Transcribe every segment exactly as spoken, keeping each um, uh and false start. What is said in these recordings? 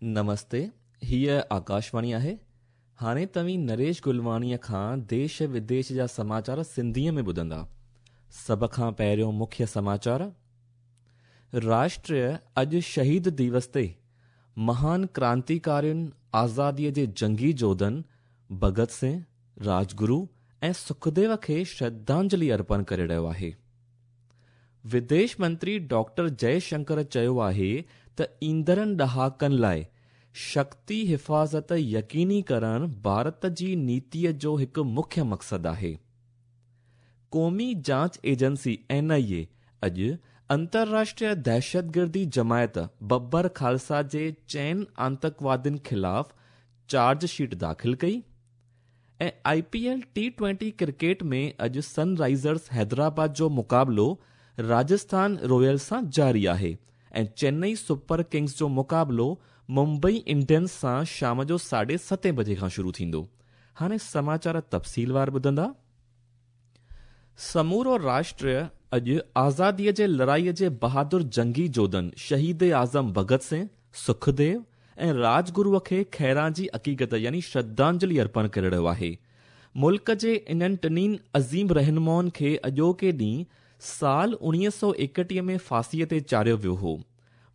نمستي، هيء آڪاشواڻي آهي. هاڻي توهين نريش گلواڻيء کان ديش وديش جا سماچار سنڌيء ۾ ٻڌندا. سڀ کان پهريون مکيه سماچار. راشٽر اڄ شهيد دوس تي مهان ڪرانتيڪارين، آزاديء جي جنگي جوڌن ڀڳت سنگهه، راجگرو ۽ سکديو کي شرڌانجلي ارپڻ ڪري رهيو آهي. وديش منتري ڊاڪٽر جئي شنڪر چيو آهي ته ايندڙن ڏهاڪن لاءِ شڪتي حفاظت يقيني ڪرڻ ڀارت جي نيتيء جو هڪ مکيه مقصد آهي. قومي جاچ ايجنسي اين آئي اي اڄ انترراشٽريه دهشتگردي جماعت ببر خالصا جي چئن آتنڪوادين خلاف چارج شيٽ داخل ڪئي ۽ I P L T twenty cricket ۾ اڄ سن رائزرس حيدرآباد جو مقابلو راجسٿان رائلز سان جاري آهي ۽ چنئي سپر ڪنگز جو مقابلو ممبئي انڊينز سان شام جو ساڍي ستين بجي کان شروع ٿيندو. هاڻي سماچار تفصيلوار ٻڌندا. سمورو راشٽر اڄ آزاديء جي لڙائيء جي بهادر جنگي جوڌن شهيد اعظم ڀڳت سنگهه، سکديو ۽ راجگروء کي خراج عقيدت يعني شرڌانجلي ارپڻ ڪري رهيو آهي. ملڪ جي انهن ٽنهي عظيم رهنمائن کي اڄوڪي ڏينهن سال اڻويهه سؤ ايڪٽيهه ۾ ڦاسيء تي چاڙهيو ويو هو.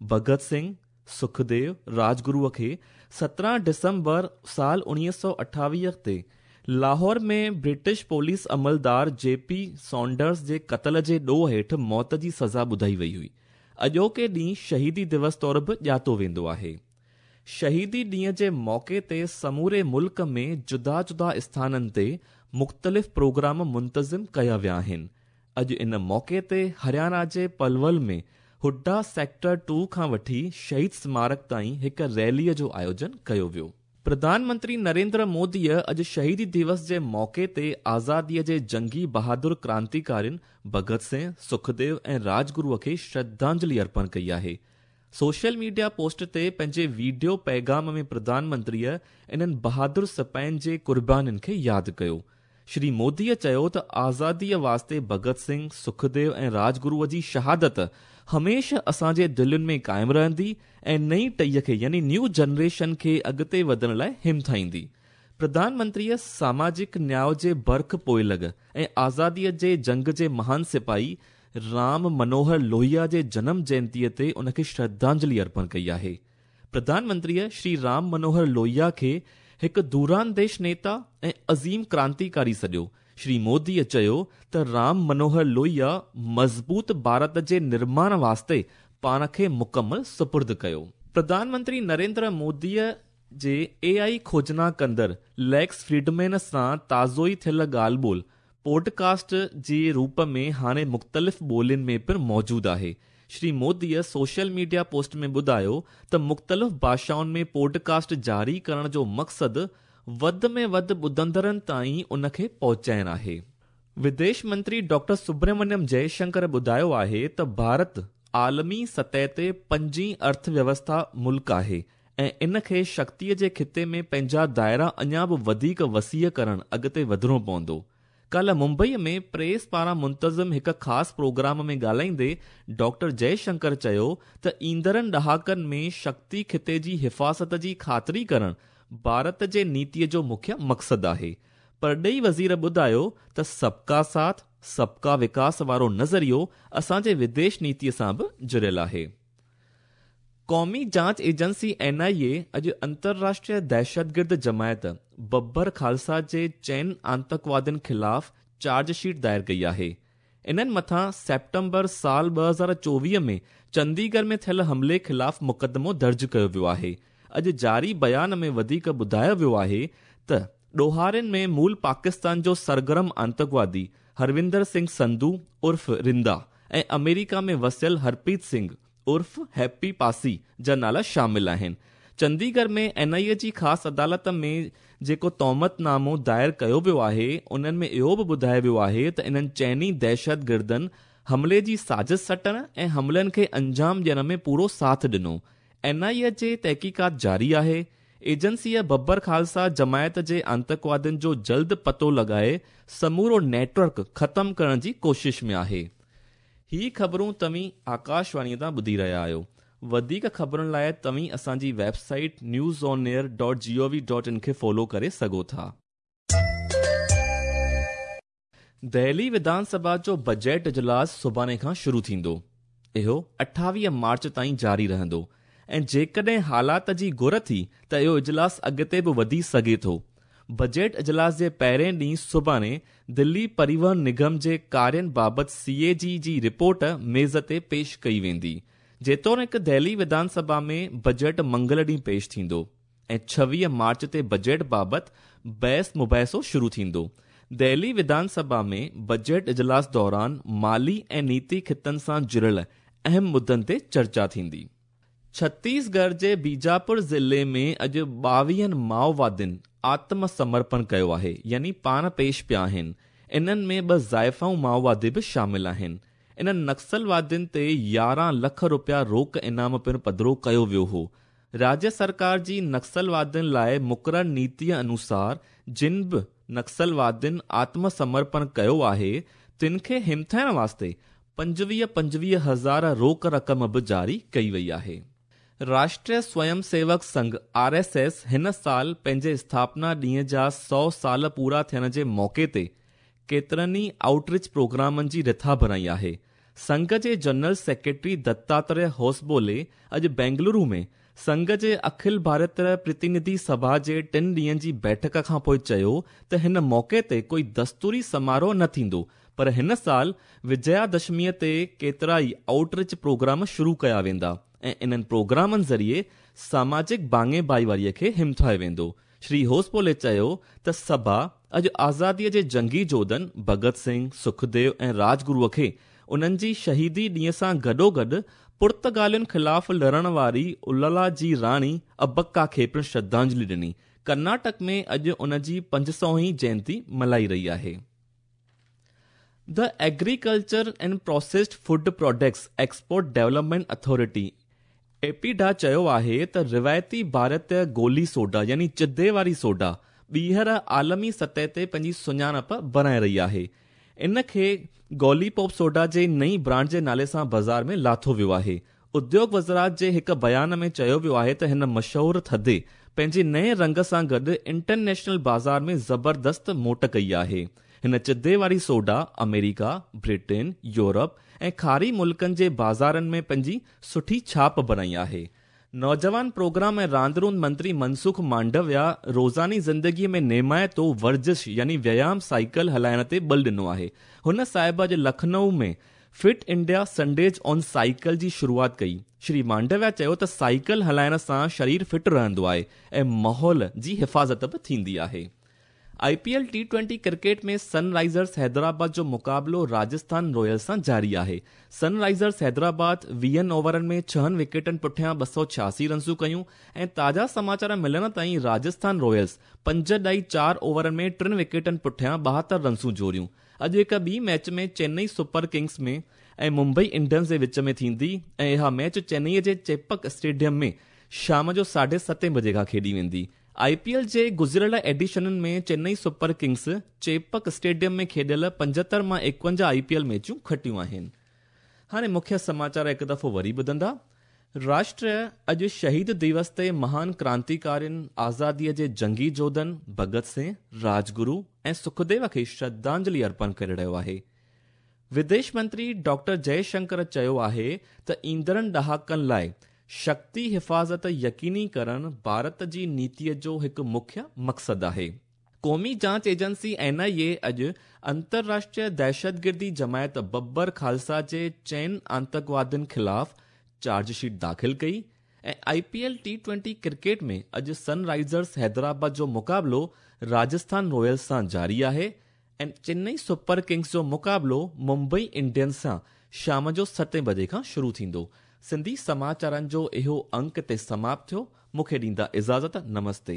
ڀڳت سنگهه، سکديو، راجگروء کي سترهن ڊسمبر سال اڻويهه سؤ اٺاويهه تي لاهور ۾ برٽش پوليس عملدار جي پي سانڊرز جي قتل جي ڏوهه هيٺ موت جي سزا ٻڌائي وئي هئي. اڄوڪي ڏينهن شهيدي دوس طور به ڄاتو ويندو آهي. شهيدي ڏينهن جي موقعي تي سموري ملڪ ۾ جدا جدا اسٿانن تي مختلف پروگرام منتظم ڪيا ويا آهن. اڄ ان موقعي تي هرياڻا جي پلول ۾ هڊا سيڪٽر ٽو کان وٺي شهيد سمارڪ تائين هڪ ريليء جو آيوجن ڪيو ويو. پرڌان منتري نريندر موديء اڄ شهيدي دوس جي موقعي تي آزاديء جي جنگي بهادر ڪرانتيڪارين ڀڳت سنگهه، سکديو ۽ راجگروء کي شرڌانجلي ارپڻ ڪئي آهي. سوشل ميڊيا پوسٽ تي پنهنجي وڊيو پيغام ۾ پرڌان منتريء انهن بهادر سپاهين جي قربانين کي ياد ڪيو. شري موديء چيو ته آزاديء واسطي ڀڳت سنگهه، سکديو ۽ راجگروء جي شهادت هميشه اسان جي دلين ۾ قائم رهندي ۽ نئين ٽهيء کي يعني نيو جنريشن کي اڳتي وڌڻ لاءِ همٿائيندي. پرڌان منتريء ساماجڪ نياءُ جي برک پوئلڳ ۽ آزاديء جي جنگ جي مهان سپاهي رام منوهر لوهيا جي جنم جينتيء تي ان کي شرڌانجلي ارپڻ ڪئي آهي. پرڌان منتريء شري رام منوهر لوهيا کي هڪ دورانديش نيتا ۽ عظيم ڪرانتيڪاري سڏيو. شري موديء چيو ته رام منوهر لوهيا مضبوط ڀارت جي نرماڻ واسطي پاڻ کي مڪمل سپرد ڪيو. پرڌان منتري نريندر موديء جي اي آئي کوجنا ڪندڙ ليڪس فريڊمين سان تازو ئي ٿيل ڳالهه ٻولهه پوڊڪاسٽ جي روپ ۾ هاڻي مختلف ٻولين ۾ پڻ موجود آهي. شري موديء سوشل ميڊيا پوسٽ ۾ ٻڌايو ته مختلف ڀاشائن ۾ پوڊڪاسٽ جاري ڪرڻ جو مقصد وڌ ۾ وڌ ٻڌندڙن تائين ان کي پهچائڻ آهي. وديش منتري ڊاڪٽر سبرمنيم جئي شنڪر ٻڌايو آهي ته ڀارت عالمي سطح تي پنجين ارٿويوسٿا ملڪ آهي ۽ ان کي شڪتيء جي خطي ۾ پنهنجا دائرا اڃا به وڌيڪ وسيع ڪرڻ اڳتي وڌڻو پوندو. ڪالهه ممبئيء ۾ پريس پاران منتظم هڪ خاص پروگرام ۾ ڳالهائيندي ڊاڪٽر جئي شنڪر چيو ته ايندڙن ڏهاڪن ۾ شڪتي خطي جي حفاظت جي خاطري ڪرڻ ڀارت جي نيتيء جو مکيه مقصد آهي. پرڏيهي وزير ٻڌايو ته سبڪا ساٿ سبڪا وڪاس وارو نظريو اسان جي وديش نيتيء سان به جڙيل آهي. قومي جاچ ايجنسي اين آئي اي اڄ انترراشٽريه دهشتگرد جماعت ببر خالصا جي چئن آتنڪوادين خلاف چارج شيٽ دائر ڪئي آهي. انهن مٿان سيپٽمبر سال ٻه هزار چوويهه ۾ چنديڳڙهه ۾ ٿيل حملي خلاف مقدمو درج ڪيو ويو آهي. اڄ جاري بيان ۾ وڌيڪ ٻڌايو ويو آهي ته ڏوهارين ۾ مول پاڪستان جو سرگرم آتنڪوادي هروندر سنگهه سنڌو عرف رندا ۽ آمريڪا ۾ وسيل هرپريت سنگهه عرف هيپي پاسي جا نالا شامل آهن. چنديڳڙهه ۾ اين آئي اي جي خاص عدالت ۾ جيڪو تهمت نامو دائر ڪيو ويو آهي انهن ۾ اهو به ٻڌايو ويو آهي ته انهن چئني دهشتگردن حملي جي سازش سٽڻ ۽ حملن کي انجام ڏيڻ ۾ پورو ساٿ ڏنو. اين آئي اي جي تحقيقات جاري آهي. ايجنسيء ببر خالصا جماعت جي آتنڪوادين جو جلد پتو لڳائي سمورو نيٽ ورڪ ختم ڪرڻ جي ڪوشش ۾ آهي. هي خبرون توهين آڪاشواڻيء تان ٻڌي رهيا آهيو. वधीक ख़बरुनि लाइ तव्हीं असांजी website news on air dot G O V dot in खे फॉलो करे सघो था। दिल्ली विधानसभा जो बजट इजलास सुभाणे खां शुरू थींदो। इहो अठावीह मार्च ताईं जारी रहंदो ऐं जेकॾहिं हालात जी घुर थी त इहो इजलास अॻिते बि वधी सघे थो। बजट इजलास जे पहिरें ॾींहुं सुभाणे दिल्ली परिवहन निगम जे कार्यनि बाबति सी ए जी जी रिपोर्ट मेज़ ते पेश कई वेंदी। जेतोणीकि दिल्ली विधानसभा में बजट मंगल ॾींहुं पेश थींदो ऐं छवीह मार्च ते बजट बाबति बहस मुबाहिसो शुरू थींदो। दिल्ली विधानसभा में बजट इजलास दौरान माली ऐं नीति खितनि सां जुड़ियल अहम मुद्दनि ते चर्चा थींदी। छत्तीसगढ़ जे बीजापुर ज़िले में अॼु ॿावीहनि माओवादियुनि आत्मसमर्पण कयो आहे, यानी पाण पेश पिया आहिनि। इन्हनि में ॿ ज़ाइफ़ाऊं माओवादी बि शामिल आहिनि। इन्हनि नक्सलवादियुनि ते यारहं लख रुपया रोक इनाम पिणु पधिरो कयो वियो हो। राज्य सरकार जी नक्सलवादियुनि लाइ मुक़ररु नीतीअ अनुसार जिन बि नक्सलवादियुनि आत्मसमर्पण कयो आहे तिन खे हिमथाइण वास्ते पंजवीह पंजवीह हज़ार रोक रक़म बि जारी कई वई आहे। राष्ट्रीय स्वयं Sevak Sangh R S S हिन साल पंहिंजे स्थापना ॾींहं जा सौ साल पूरा थियण जे मौक़े ते केतिरनि ई आउटरीच प्रोग्रामनि जी रिथा बणाई आहे। संघ जे जनरल सेक्रेटरी दत्तात्रेय होसबोले अॼु बेंगलुरु में संघ जे अखिल भारतीय प्रतिनिधि सभा जे टिनि ॾींहंनि जी बैठक खां पोइ चयो त हिन मौक़े ते कोई दस्तूरी समारोह न थींदो, पर हिन साल विजयादशमीअ ते केतिरा ई आउटरीच प्रोग्राम शुरू कया वेंदा ऐं इन्हनि प्रोग्रामनि ज़रिए सामाजिक भाङे भाईवारीअ खे हिमथायो वेंदो। श्री होसबोले चयो त सभा अॼु आज़ादीअ जे जंगी जोधनि भगत सिंह, सुखदेव ऐं राजगुरूअ खे उन्हनि जी शहीदी ॾींहं सां गॾोगॾु पुर्तगालियुनि ख़िलाफ़ लड़ण वारी उल्लाला जी राणी अबक्का खे पिणु श्रद्धांजलि ॾिनी। कर्नाटक में अॼु उन जी पंज सौ जयंती मल्हाई रही आहे। The agriculture and processed food products export development authority APEDA चयो आहे त रिवायती भारतीय गोली सोडा यानी चिदे वारी सोडा ॿीहर आलमी सतह ते पंहिंजी सुञाणप बणाए रही आहे। इन खे गोली पॉप सोडा जे नई ब्रांड जे नाले सां बाज़ार में लाथो वियो आहे। उद्योग वज़ारत जे हिकु बयान में चयो वियो आहे त हिन मशहूर थधे पंहिंजे नए रंग सां गॾु इंटरनेशनल बाज़ार में ज़बरदस्त मोट कई आहे। हिन चिदे वारी सोडा अमेरिका, ब्रिटेन, यूरोप ऐं खारी मुल्कनि जे बाज़ारनि में पंहिंजी सुठी छाप बणाई आहे। नौजवान प्रोग्राम ऐं रांदि रूंदि मंत्री मनसुख मांडविया रोज़ानी ज़िंदगीअ में नेमाइतो वर्जिश यानी व्यायाम साइकिल हलाइण ते बल ॾिनो आहे। हुन साहिब अॼु लखनऊ में fit India Sundays on cycle जी शुरूआत कई। श्री मांडविया चयो त साइकिल हलाइण सां शरीर फिट रहंदो आहे ऐं माहौल जी हिफ़ाज़त बि थींदी आहे। I P L T twenty cricket में सनराइजर्स हैदराबाद जो मुक़ाबिलो राजस्थान रॉयल्स सां जारी आहे। सनराइजर्स हैदराबाद वीहनि ओवरनि में छहनि विकेटनि पुठियां ॿ सौ छियासी रनसूं कयूं ऐं ताज़ा समाचार मिलण ताईं राजस्थान रॉयल्स पंज ॾाई चारि ओवरनि में टिनि विकेटनि पुठियां ॿाहतरि रनसूं जोड़ियूं। अॼु हिकु ॿी मैच में चेन्नई सुपर किंग्स में ऐं मुंबई इंडियंस जे विच में थींदी ऐं इहा मैच चेन्नईअ जे चेपक स्टेडियम में शाम जो साढे सतें बजे खां खेॾी वेंदी। I P L जे गुज़िरियल एडिशननि में Chennai super kings Chepauk stadium में खेॾियल पंजहतरि मां एकवंजाह I P L मैचूं खटियूं आहिनि। हाणे मुख्य समाचार हिकु दफ़ो वरी ॿुधंदा। राष्ट्र अॼु शहीद दिवस ते महान क्रांतिकारियुनि, आज़ादीअ जे जंगी जोधनि भगत सिंह, राजगुरू ऐं सुखदेव खे श्रद्धांजलि अर्पण करे रहियो आहे। विदेश मंत्री डॉक्टर जयशंकर चयो आहे त ईंदड़नि ॾहाकनि लाइ शक्ति हिफ़ाज़त यकीनी करण भारत जी नीतीअ जो हिकु मुख्य मक़सदु आहे। क़ौमी जांच एजेंसी एन आई ए अॼु अंतर्राष्ट्रीय दहशतगिर्दी जमायत बब्बर खालसा जे चइनि आतंकवादियुनि ख़िलाफ़ चार्जशीट दाख़िल कई ऐं I P L T twenty cricket में अॼु सनराइजर्स हैदराबाद जो मुक़ाबिलो राजस्थान रॉयल्स सां जारी आहे ऐं चेन्नई सुपर किंग्स जो मुक़ाबिलो मुंबई इंडियंस सां शाम जो सतें बजे खां शुरू थींदो। सिंधी समाचारनि जो इहो अंक ते समाप्त थियो। मूंखे ॾींदा इजाज़त। नमस्ते।